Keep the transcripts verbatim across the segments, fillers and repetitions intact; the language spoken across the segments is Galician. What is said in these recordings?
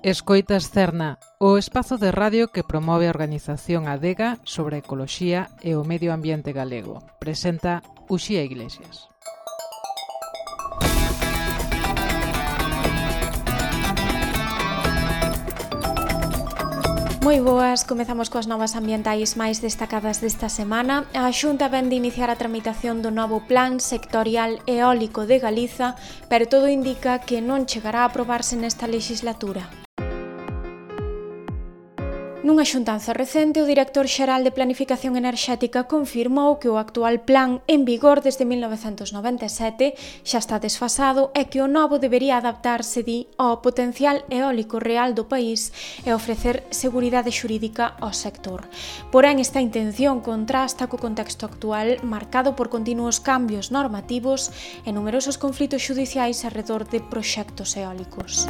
Escoitas Cerna, o espazo de radio que promove a organización Adega sobre a ecoloxía e o medio ambiente galego. Presenta Uxía Iglesias. Moi boas, comezamos coas novas ambientais máis destacadas desta semana. A Xunta vén de iniciar a tramitación do novo Plan Sectorial Eólico de Galiza, pero todo indica que non chegará a aprobarse nesta legislatura. Nunha xuntanza recente, o director xeral de Planificación Enerxética confirmou que o actual plan, en vigor desde mil novecentos noventa e sete, xa está desfasado e que o novo debería adaptarse, di, ao potencial eólico real do país e ofrecer seguridade xurídica ao sector. Porén, esta intención contrasta co contexto actual marcado por continuos cambios normativos e numerosos conflitos xudiciais arredor de proxectos eólicos.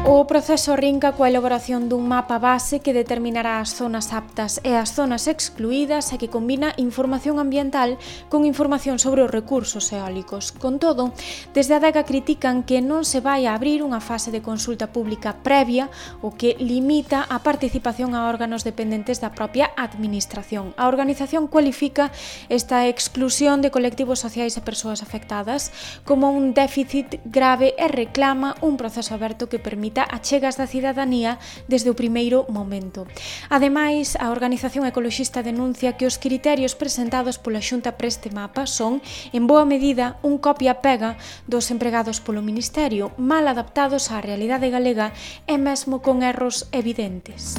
O proceso arrinca coa elaboración dun mapa base que determinará as zonas aptas e as zonas excluídas e que combina información ambiental con información sobre os recursos eólicos. Con todo, desde a Adega critican que non se vai a abrir unha fase de consulta pública previa, o que limita a participación a órganos dependentes da propia administración. A organización cualifica esta exclusión de colectivos sociais e persoas afectadas como un déficit grave e reclama un proceso aberto que permita achegas da cidadanía desde o primeiro momento. Ademais, a organización ecoloxista denuncia que os criterios presentados pola Xunta para este mapa son, en boa medida, un copia-pega dos empregados polo Ministerio, mal adaptados á realidade galega e mesmo con erros evidentes.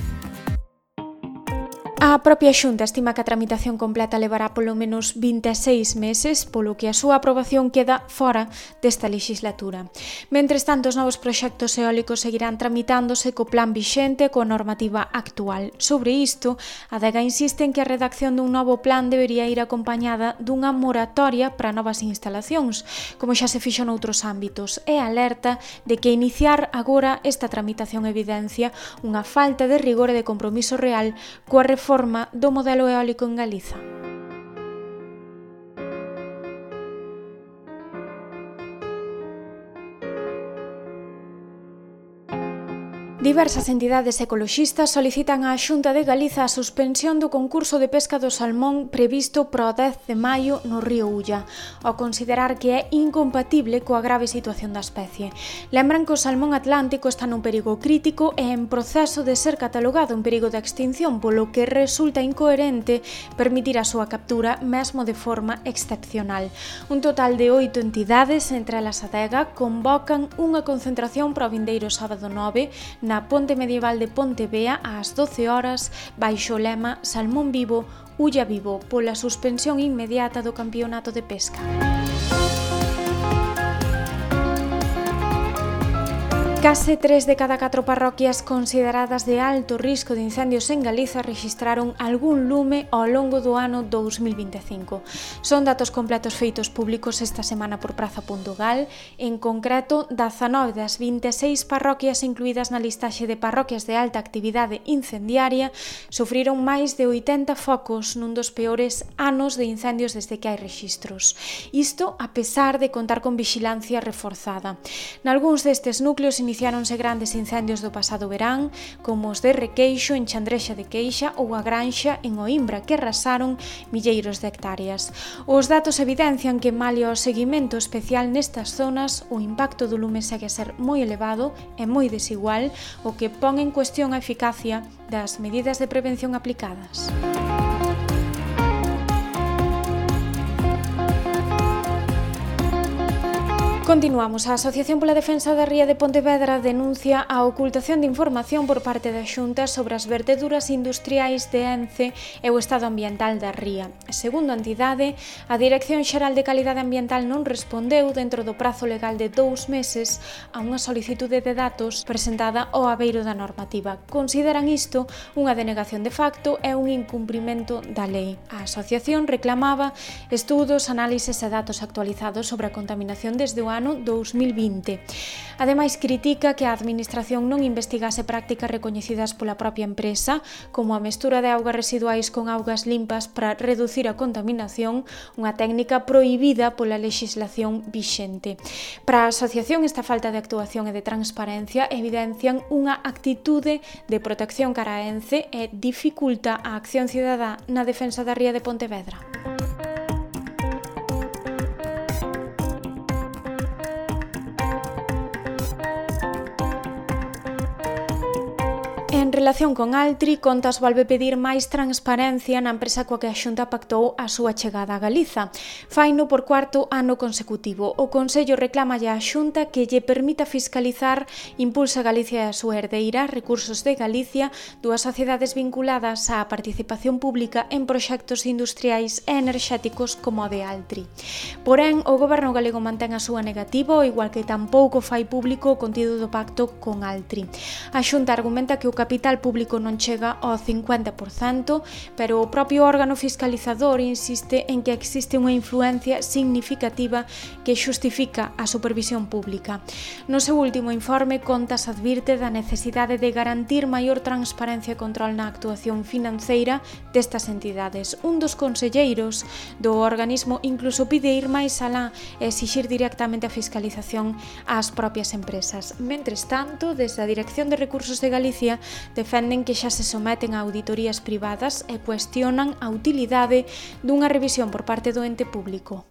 A propia Xunta estima que a tramitación completa levará polo menos vinte e seis meses, polo que a súa aprobación queda fora desta legislatura. Mentres tanto, os novos proxectos eólicos seguirán tramitándose co plan vixente e coa normativa actual. Sobre isto, a Adega insiste en que a redacción dun novo plan debería ir acompañada dunha moratoria para novas instalacións, como xa se fixo noutros ámbitos, e alerta de que iniciar agora esta tramitación evidencia unha falta de rigor e de compromiso real coa reforma forma do modelo eólico en Galiza. Diversas entidades ecoloxistas solicitan á Xunta de Galiza a suspensión do concurso de pesca do salmón previsto para o dez de maio no río Ulla, ao considerar que é incompatible coa grave situación da especie. Lembran que o salmón atlántico está nun perigo crítico e en proceso de ser catalogado en perigo de extinción, polo que resulta incoherente permitir a súa captura mesmo de forma excepcional. Un total de oito entidades, entre elas a Adega, convocan unha concentración para o vindeiro sábado nove na Ponte Medieval de Pontevea ás doce horas baixo o lema Salmón vivo, Ulla vivo, pola suspensión inmediata do campeonato de pesca. Case tres de cada catro parroquias consideradas de alto risco de incendios en Galiza rexistraron algún lume ao longo do ano dous mil vinte e cinco. Son datos completos feitos públicos esta semana por Praza punto gal. En concreto, dezanove das vinte e seis parroquias incluídas na listaxe de parroquias de alta actividade incendiaria sufriron máis de oitenta focos nun dos peores anos de incendios desde que hai rexistros. Isto a pesar de contar con vixilancia reforzada. Nalgúns destes núcleos iniciáronse grandes incendios do pasado verán, como os de Requeixo en Chandrexa de Queixa ou a Granxa en Oimbra, que arrasaron milleiros de hectáreas. Os datos evidencian que, malia o seguimento especial nestas zonas, o impacto do lume segue a ser moi elevado e moi desigual, o que pon en cuestión a eficacia das medidas de prevención aplicadas. Continuamos. A Asociación pola Defensa da Ría de Pontevedra denuncia a ocultación de información por parte da Xunta sobre as verteduras industriais de Ence e o estado ambiental da ría. Segundo a entidade, a Dirección Xeral de Calidade Ambiental non respondeu dentro do prazo legal de dous meses a unha solicitude de datos presentada ao abeiro da normativa. Consideran isto unha denegación de facto e un incumprimento da lei. A asociación reclamaba estudos, análises e datos actualizados sobre a contaminación desde o ano ano dous mil vinte. Ademais, critica que a Administración non investigase prácticas recoñecidas pola propia empresa, como a mestura de augas residuais con augas limpas para reducir a contaminación, unha técnica prohibida pola lexislación vixente. Para a asociación, esta falta de actuación e de transparencia evidencian unha actitude de protección cara a Ence e dificulta a acción cidadá na defensa da ría de Pontevedra. En relación con Altri, Contas volve pedir máis transparencia na empresa coa que a Xunta pactou a súa chegada a Galiza. Faino por cuarto ano consecutivo. O Consello reclama á Xunta que lle permita fiscalizar Impulsa Galicia e a súa herdeira, Recursos de Galicia, dúas sociedades vinculadas á participación pública en proxectos industriais e enerxéticos como o de Altri. Porén, o Goberno galego mantén a súa negativa, ao igual que tampouco fai público o contido do pacto con Altri. A Xunta argumenta que o capital público non chega ao cincuenta por cento, pero o propio órgano fiscalizador insiste en que existe unha influencia significativa que xustifica a supervisión pública. No seu último informe, Contas advirte da necesidade de garantir maior transparencia e control na actuación financeira destas entidades. Un dos conselleiros do organismo incluso pide ir máis alá e exixir directamente a fiscalización ás propias empresas. Mentres tanto, desde a Dirección de Recursos de Galicia defenden que xa se someten a auditorías privadas e cuestionan a utilidade dunha revisión por parte do ente público.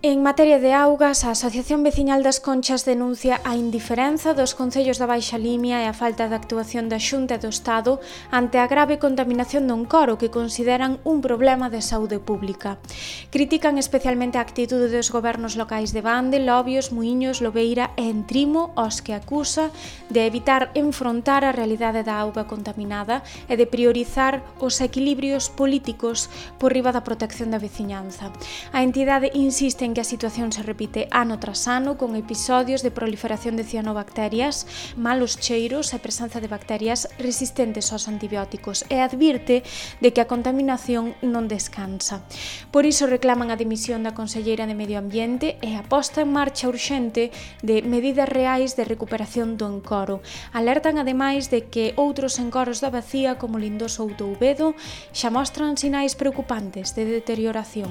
En materia de augas, a Asociación Veciñal das Conchas denuncia a indiferenza dos concellos da Baixa Limia e a falta de actuación da Xunta e do Estado ante a grave contaminación do encoro que consideran un problema de saúde pública. Critican especialmente a actitude dos gobernos locais de Bande, Lobios, Muíños, Lobeira e Entrimo, os que acusa de evitar enfrontar a realidade da auga contaminada e de priorizar os equilibrios políticos por riba da protección da veciñanza. A entidade insiste en que a situación se repite ano tras ano con episodios de proliferación de cianobacterias, malos cheiros e presenza de bacterias resistentes aos antibióticos e advirte de que a contaminación non descansa. Por iso reclaman a dimisión da conselleira de Medio Ambiente e a posta en marcha urxente de medidas reais de recuperación do encoro. Alertan ademais de que outros encoros da Bacía como Lindoso ou Touvedo xa mostran sinais preocupantes de deterioración.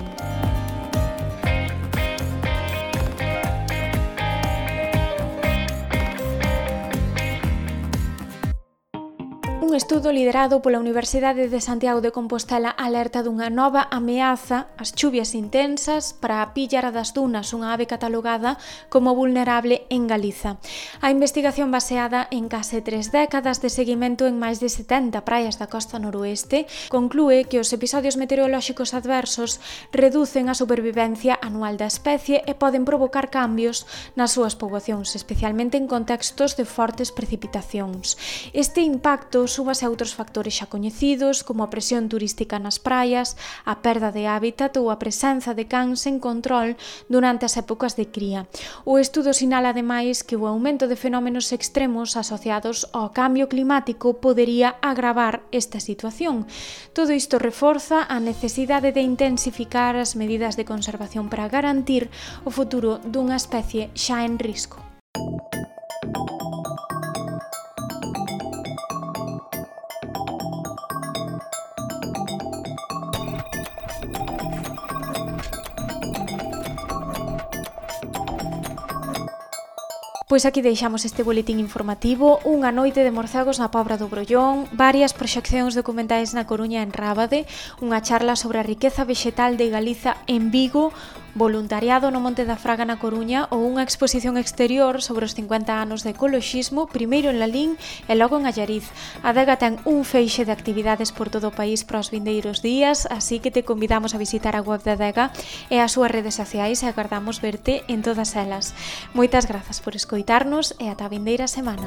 Un estudo liderado pola Universidade de Santiago de Compostela alerta dunha nova ameaza, as chuvias intensas, para a píllara das dunas, unha ave catalogada como vulnerable en Galiza. A investigación baseada en case tres décadas de seguimento en máis de setenta praias da costa noroeste conclúe que os episodios meteorolóxicos adversos reducen a supervivencia anual da especie e poden provocar cambios nas súas poboacións, especialmente en contextos de fortes precipitacións. Este impacto súmase a outros factores xa coñecidos, como a presión turística nas praias, a perda de hábitat ou a presenza de cans sen control durante as épocas de cría. O estudo sinala ademais que o aumento de fenómenos extremos asociados ao cambio climático podería agravar esta situación. Todo isto reforza a necesidade de intensificar as medidas de conservación para garantir o futuro dunha especie xa en risco. Pois aquí deixamos este boletín informativo, unha noite de morcegos na Pobra do Brollón, varias proxeccións documentais na Coruña en Rábade, unha charla sobre a riqueza vexetal de Galiza en Vigo, voluntariado no Monte da Fraga na Coruña ou unha exposición exterior sobre os cincuenta anos de ecoloxismo, primeiro en Lalín e logo en Allariz. A Adega ten un feixe de actividades por todo o país para os vindeiros días, así que te convidamos a visitar a web da Adega e as súas redes sociais e agardamos verte en todas elas. Moitas grazas por escoitarnos e ata a vindeira semana.